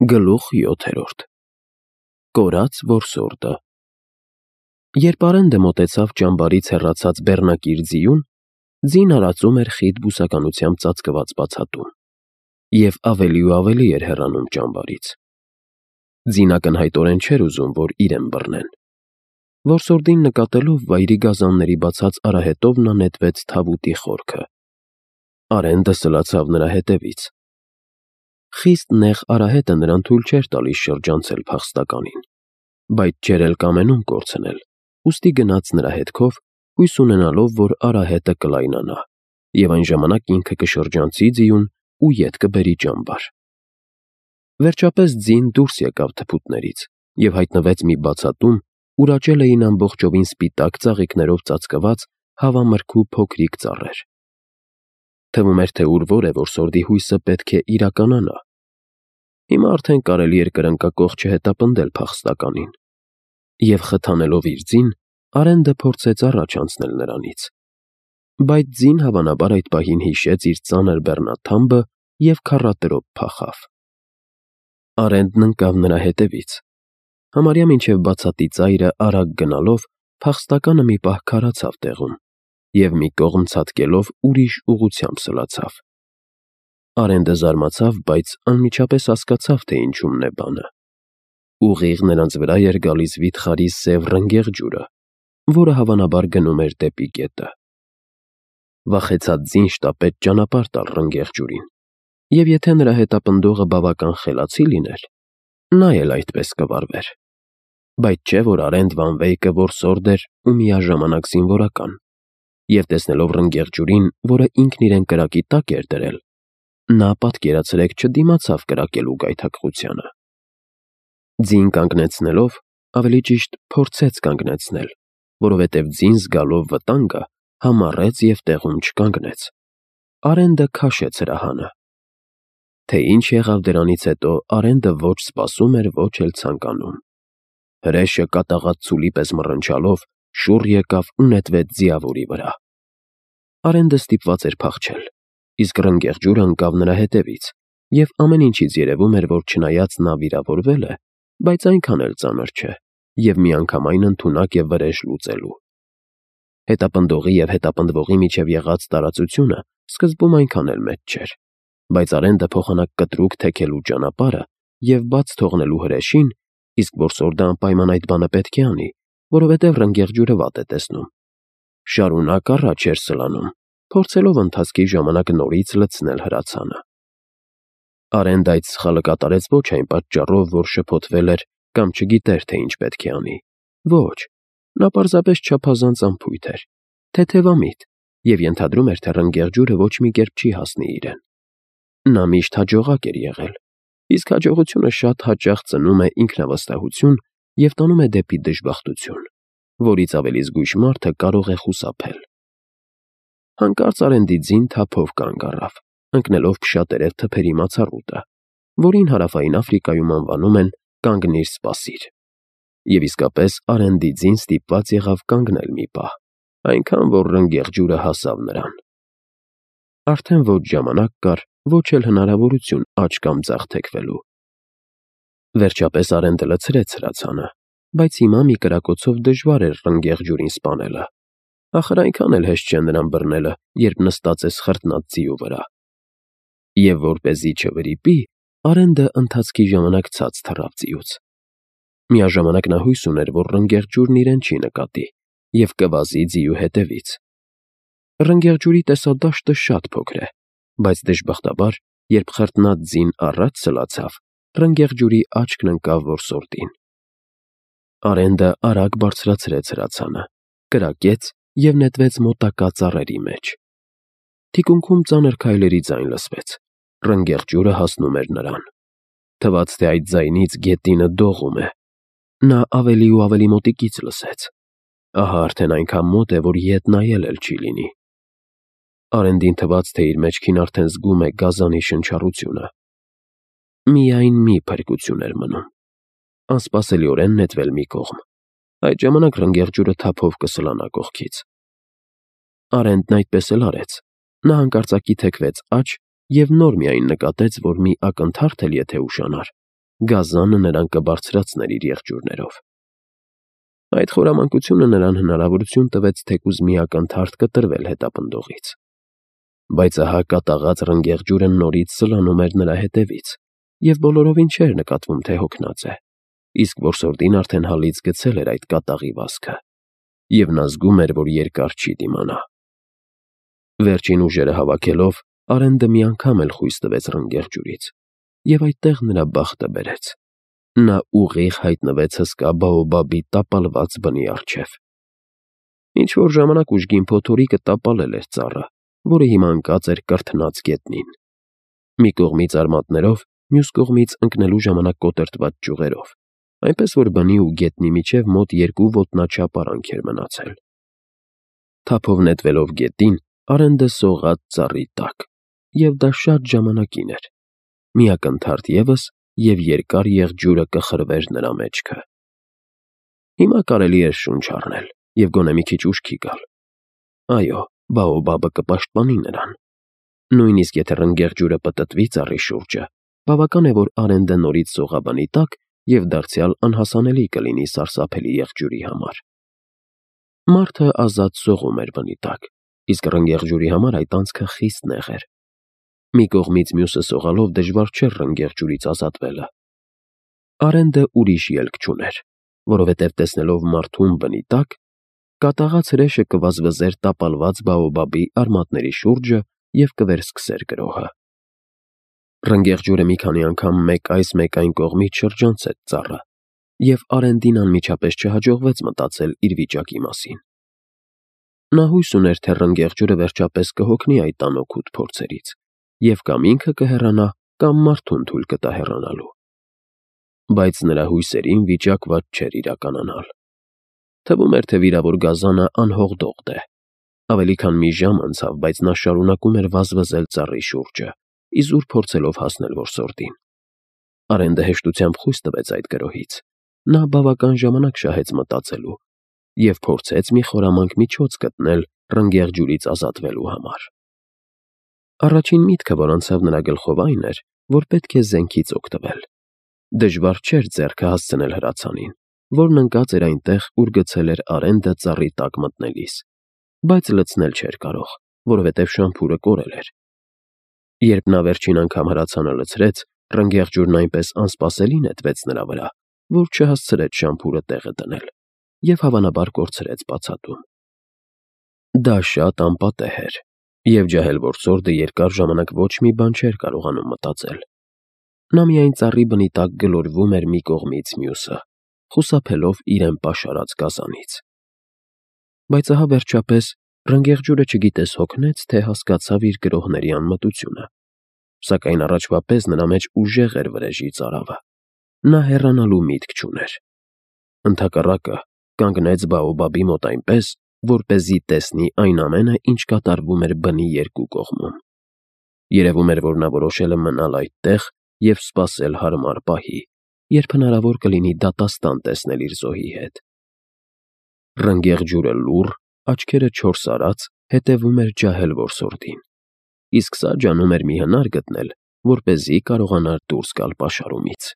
Գլուխ 7. Կորած որսորդը։ Երբ Արենդը մոտեցավ ճամբարից հեռացած բեռնակիր ձիուն, ձին արածում էր խիտ բուսականությամբ ծածկված բացատում, և ավելի ու ավելի էր հեռանում ճամբարից։ Ձին ակնհայտորեն չէր ուզում, որ իրեն բռնեն։ Որսորդին նկատելով վայրի գազանների բացած արահետով նա նետվեց թավուտի խորքը։ Արենդը սլացավ նրա հետևից։ Խիստ նեղ արահետը նրան թույլ չէր տալիս շրջանցել փախստականին, բայց չէր էլ կամենում կորցնել, ուստի գնաց նրա հետքով, հույս ունենալով, որ արահետը կլայնանա, և այն ժամանակ ինքը կշրջանցի ձիուն ու ետ կբերի ճամբար։ Վերջապես ձին դուրս եկավ թփուտներից և հայտնվեց մի բացատում, ուր աճել էին ամբողջովին սպիտակ ծաղիկներով ծածկված հավամրգու փոքրիկ ծառեր։ Թվում էր, թե ուր որ է որսորդի հույսը պետք է իրականանա։ Հիմա արդեն կարելի էր կրնկակոխ չհետապնդել փախստականին, և խթանելով իր ձին, Արենդը փորձեց առաջ անցնել նրանից։ Բայց ձին հավանաբար այդ պահին հիշեց իր ծանր բեռնաթամբը և քառատրոփ փախավ։ Արենդն ընկավ նրա հետևից։ Համարյա մինչև բացատի ծայրը արագ գնալով, փախստականը մի պահ քարացավ տեղում և մի կողմ ցատկելով ուրիշ ուղղությամբ սլացավ։ Արենդը զարմացավ, բայց անմիջապես հասկացավ, թե ինչումն է բանը։ Ուղիղ նրանց վրա էր գալիս վիթխարի սև ռնգեղ ջուրը, որը հավանաբար գնում էր դեպի գետը։ Վախեցած ձին շտապեց ճանապարհ տալ ռնգեղ ջուրին, և եթե նրա հետապնդողը բավական խելացի լիներ, նա էլ այդպես կվարվեր։ Բայց չէ՞ որ Արենդ վան Վեյկը որսորդ էր ու միաժամանակ զինվորական, և տեսնելով ռնգեղ ջուրին, որը ինքն իրեն կրակի տակ էր դրել, նա պատկերացրեք չդիմացավ կրակելու գայթակղությանը։ Ձին կանգնեցնելով, ավելի ճիշտ փորձեց կանգնեցնել, որովհետև ձին զգալով վտանգը համառեց և տեղում չկանգնեց։ Արենդը քաշեց հրահանը։ Թե ինչ եղավ դրանից հետո, Արենդը ոչ սպասում էր, ոչ էլ ցանկանում։ Հրեշը կատաղած ցուլի պես մռնչալով շուռ եկավ ու նետվեց ձիավորի վրա։ Արենդը ստիպված էր փախչել, իսկ ռնգեղ ջուրը ընկավ նրա հետևից, և ամեն ինչից երևում էր, որ չնայած նա վիրավորվել է, բայց այնքան էլ ծանր չէ, և միանգամայն ընդունակ է վրեժ լուծելու։ Հետապնդողի և հետապնդվողի միջև եղած տարածությունը սկզբում այնքան էլ մեծ չէր, բայց Արենդը փոխանակ կտրուկ թեքելու ճանապարհը և բաց թողնելու հրեշին, իսկ որսորդը անպայման այդ բանը պետք է անի, որովհետև ռնգեղ ջուրը վատ է տեսնում, շարունակ առաջ էր սլանում, փորձելով ընթացքի ժամանակ նորից լցնել հրացանը։ Արենդը այդ սխալը կատարեց ոչ այն պատճառով, որ շփոթվել էր կամ չգիտեր, թե ինչ պետք է անի։ Ոչ, նա պարզապես չափազանց անփույթ էր, թեթևամիտ և ենթադրում էր, թե ռնգեղ ջուրը ոչ մի կերպ չի հասնի իրեն։ Նա միշտ հաջողակ էր եղել, իսկ հաջողությունը շատ հաճախ ծնում է ինքնավստահություն և տանում է դեպի դժբախտություն, որից ավելի զգույշ մարդը կարող է խուսափել։ Հանկարծ Արենդի ձին թափով կանգ առավ, ընկնելով փշատերև թփերի մացառուտը, որին Հարավային Աֆրիկայում անվանում են «կանգնիր, սպասիր»։ Եվ իսկապես Արենդի ձին ստիպված եղավ կանգնել մի պահ, այնքան որ ռնգեղ ջուրը հասավ նրան։ Արդեն ոչ ժամանակ կար, ոչ էլ հնարավորություն աջ կամ ձախ թեքվելու։ Վերջապես Արենդը լցրեց հրացանը, բայց հիմա մի կրակոցով դժվար էր ռնգեղ ջուրին սպանելը։ Ախր այնքան էլ հեշտ չէ նրան բռնելը, երբ նստած ես խրտնած ձիու վրա։ Եվ որպեսզի չվրիպի, Արենդը ընթացքի ժամանակ ցած թռավ ձիուց։ Միաժամանակ նա հույս ուներ, որ ռնգեղ ջուրն իրեն չի նկատի և կվազի ձիու հետևից։ Ռնգեղ ջուրի տեսադաշտը շատ փոքր է, բայց դժբախտաբար, երբ խրտնած ձին առաջ սլացավ, ռնգեղ ջուրի աչքն ընկավ որսորդին։ Արենդը արագ բարձրացրեց հրացանը, կրակեց և նետվեց մոտակա ծառերի մեջ։ Թիկունքում ծանր քայլերի ձայն լսվեց։ Ռնգեղ ջուրը հասնում էր նրան։ Թվաց, թե այդ ձայնից գետինը դողում է։ Նա ավելի ու ավելի մոտիկից լսեց։ Ահա արդեն այնքան մոտ է, որ ետ նայել էլ չի լինի։ Արենդին թվաց, թե իր մեջքին արդեն զգում է գազանի շնչառությունը։ Միայն մի փրկություն էր մնում՝ անսպասելիորեն նետվել մի կողմ։ Այդ ժամանակ ռնգեղ ջուրը թափով կսլանա կողքից։ Արենդն այդպես էլ արեց։ Նա հանկարծակի թեքվեց աջ և նոր միայն նկատեց, որ մի ակնթարթ էլ եթե ուշանար, գազանը նրան կբարձրացներ իր եղջյուրներով։ Այդ խորամանկությունը նրան հնարավորություն տվեց թեկուզ մի ակնթարթ կտրվել հետապնդողից։ Բայց ահա կատաղած ռնգեղջյուրը նորից սլանում էր նրա հետևից, և բոլորովին չէր նկատվում, թե հոգնած է, իսկ որսորդին արդեն հալից գցել էր այդ կատաղի վազքը, և նա զգում էր, որ երկար չի դիմանա։ Վերջին ուժերը հավաքելով, Արենդը մի անգամ էլ խույս տվեց ռնգեղջյուրից, և այդտեղ նրա բախտը բերեց։ Նա ուղիղ հայտնվեց հսկա բաոբաբի տապալված բնի առջև։ Ինչ-որ ժամանակ ուժգին փոթորիկը տապալել էր ծառը, որը հիմա ընկած էր կրթնած գետնին։ Մի կողմից արմատներով, մյուս կողմից ընկնելու ժամանակ կոտրտված ճյուղերով, այնպես որ բնի ու գետնի միջև մոտ 2 ոտնաչափ արանք էր մնացել։ Թափով նետվելով գետին, Արենդը սողաց ծառի տակ, և դա շատ ժամանակին էր։ Մի ակնթարթ ևս, և երկար եղջյուրը կխրվեր նրա մեջքը։ Հիմա կարելի էր շունչ առնել և գոնե մի քիչ ուշքի գալ։ Այո, բաոբաբը կպաշտպանի նրան։ Նույնիսկ եթե ռնգեղջյուրը պտտվի ծառի շուրջը, բավական է, որ Արենդը նորից սողա բնի տակ և դարձյալ անհասանելի կլինի սարսափելի եղջյուրի համար։ Մարդը ազատ սողում էր բնի տակ, իսկ ռնգեղջյուրի համար այդ անցքը խիստ նեղ էր։ Մի կողմից մյուսը սողալով դժվար չէր ռնգեղջյուրից ազատվելը։ Արենդը ուրիշ ելք չուներ, որովհետև տեսնելով մարդուն բնի տակ, կատաղած հրեշը կվազվզեր տապալված բաոբաբի արմատների շուրջը և կվերսկսեր գրոհը։ Ռնգեղջյուրը մի քանի անգամ մեկ այս մեկ այն կողմից շրջանցեց ծառը, և Արենդին անմիջապես չհաջողվեց մտածել իր վիճակի մասին։ Նա հույս ուներ, թե ռնգեղջյուրը վերջապես կհոգնի այդ անօգուտ փորձերից, և կամ ինքը կհեռանա, կամ մարդուն թույլ կտա հեռանալու։ Բայց նրա հույսերին վիճակված չէր իրականանալ։ Թվում էր, թե վիրավոր գազանը անհողդողդ է։ Ավելի քան մի ժամ անցավ, բայց նա շարունակում էր վազվզել ծառի շուրջը, իզուր փորձելով հասնել որսորդին։ Արենդը հեշտությամբ խույս տվեց այդ գրոհից։ Նա բավական ժամանակ շահեց մտածելու և փորձեց մի խորամանկ միջոց գտնել ռնգեղջյուրից ազատվելու համար։ Առաջին միտքը, որ անցավ նրա գլխով, այն էր, որ պետք է զենքից օգտվել։ Դժվար չէր ձեռքը հասցնել հրացանին, որն ընկած էր այնտեղ, ուր գցել էր Արենդը ծառի տակ մտնելիս, բայց լցնել չէր կարող, որովհետև շամփուրը կորել էր։ Երբ նա վերջին անգամ հրացանը լցրեց, ռնգեղջյուրն այնպես անսպասելի նետվեց նրա վրա, որ չհասցրեց շամփուրը տեղը դնել և հավանաբար կորցրեց բացատում։ Դա շատ անպատեհ էր, և ջահել որսորդը երկար ժամանակ ոչ մի բան չէր կարողանում մտածել։ Նա միայն ծառի բնի տակ գլորվում էր մի կողմից մյուսը, խուսափելով իրեն պաշարած գազանից։ Բայց ահա վերջապես ռնգեղջյուրը չգիտես հոգնեց, թե հասկացավ իր գրոհների անմտությունը, սակայն առաջվա պես նրա մեջ ուժեղ էր վրեժի ծարավը։ Նա հեռանալու միտք չուներ։ Ընդհակառակը, կանգնեց բաոբաբի մոտ այնպես, որպեսզի տեսնի այն ամենը, ինչ կատարվում էր բնի երկու կողմում։ Երևում էր, որ նա որոշել է մնալ այդտեղ և սպասել հարմար պահի, երբ հնարավոր կլինի դատաստան տեսնել իր զոհի հետ։ Ռնգեղջյուրը լուռ, աչքերը չորս արած, հետևում էր ջահել որսորդին, իսկ սա ջանում էր մի հնար գտնել, որպեսզի կարողանար դուրս գալ պաշարումից։